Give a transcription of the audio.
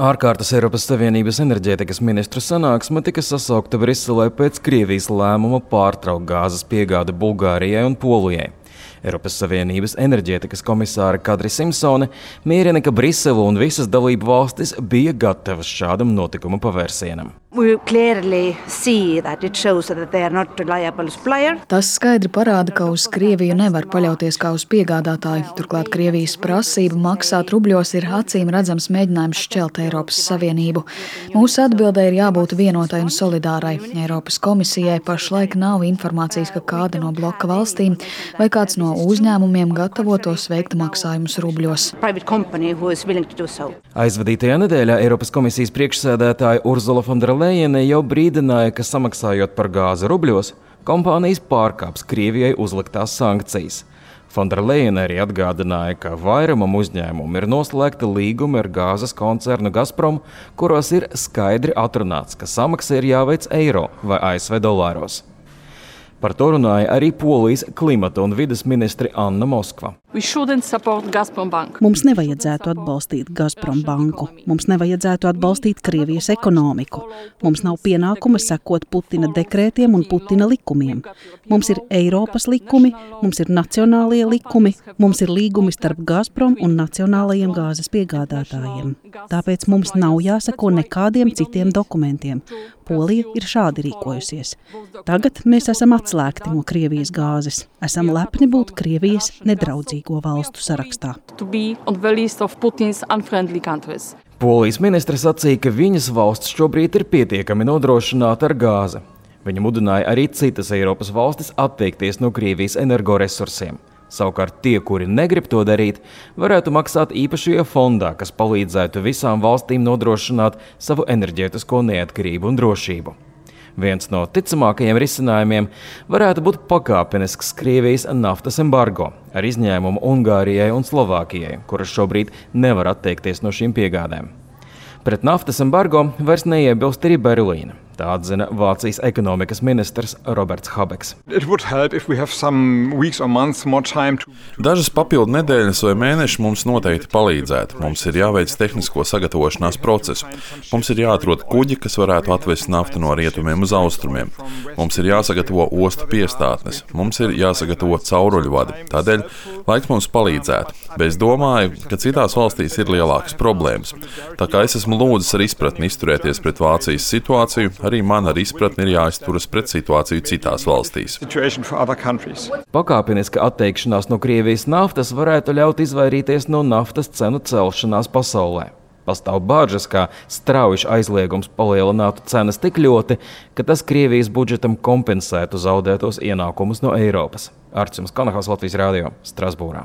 Ārkārtas Eiropas Savienības enerģētikas ministru sanāksme tika sasaukta Briselē pēc Krievijas lēmuma pārtraukt gāzes piegādi Bulgārijai un Polijai. Eiropas Savienības enerģētikas komisāre Kadri Simpsone mierina, ka Brisele un visas dalību valstis bija gatavas šādam notikuma pavērsienam. Tas skaidri parāda, ka uz Krieviju nevar paļauties kā uz piegādātāju. Turklāt Krievijas prasība maksāt rubļos ir acīm redzams mēģinājums šķelt Eiropas Savienību. Mūsu atbildē ir jābūt vienotai un solidārai. Eiropas komisijai pašlaik nav informācijas, ka kāda no bloka valstīm vai kāds no uzņēmumiem gatavotos veikt maksājumus rubļos. Aizvadītajā nedēļā Eiropas komisijas priekšsēdētāja Urzula von der Leyene jau brīdināja, ka samaksājot par gāzi rubļos, kompānijas pārkāps Krievijai uzliktās sankcijas. Von der Leyene arī atgādināja, ka vairumam uzņēmumu ir noslēgta līguma ar gāzes koncernu Gazprom, kuros ir skaidri atrunāts, ka samaksa ir jāveic eiro vai ASV dolāros. Par to runāja arī Polijas klimata un vides ministri Anna Moskva. Mums nevajadzētu atbalstīt Gazprom banku. Mums nevajadzētu atbalstīt Krievijas ekonomiku. Mums nav pienākuma sekot Putina dekrētiem un Putina likumiem. Mums ir Eiropas likumi, mums ir nacionālie likumi, mums ir līgumi starp Gazprom un nacionālajiem gāzes piegādātājiem. Tāpēc mums nav jāseko nekādiem citiem dokumentiem. Polija ir šādi rīkojusies. Tagad mēs esam atslēgti no Krievijas gāzes. Esam lepni būt Krievijas nedraudzīgo valstu sarakstā. Polijas ministrs sacīja, ka viņas valsts šobrīd ir pietiekami nodrošināta ar gāzi. Viņa mudināja arī citas Eiropas valstis atteikties no Krievijas energoresursiem. Savukārt tie, kuri negrib to darīt, varētu maksāt īpašajā fondā, kas palīdzētu visām valstīm nodrošināt savu enerģētisko neatkarību un drošību. Viens no ticamākajiem risinājumiem varētu būt pakāpenisks Krievijas naftas embargo, ar izņēmumu Ungārijai un Slovākijai, kuras šobrīd nevar atteikties no šīm piegādēm. Pret naftas embargo vairs neiebilst arī Berlīna. Tā atzina Vācijas ekonomikas ministrs Roberts Habeks. Dažas papildu nedēļas vai mēneši mums noteikti palīdzētu. Mums ir jāveic tehnisko sagatavošanās procesu. Mums ir jāatrod kuģi, kas varētu atvest naftu no rietumiem uz austrumiem. Mums ir jāsagatavo ostu piestātnes. Mums ir jāsagatavo cauruļu vadi. Tādēļ laiks mums palīdzētu. Bet es domāju, ka citās valstīs ir lielākas problēmas. Tā kā es esmu lūdzis ar izpratni izturēties pret Vācijas situāciju, arī man ar izpratni ir jāizturas pret situāciju citās valstīs. Pakāpeniska atteikšanās no Krievijas naftas varētu ļaut izvairīties no naftas cenu celšanās pasaulē. Pastāv bāžas, ka strauji aizliegums palielinātu cenas tik ļoti, ka tas Krievijas budžetam kompensētu zaudētos ienākumus no Eiropas. Arčuns Kanahals, Latvijas radio, Strasbūrā.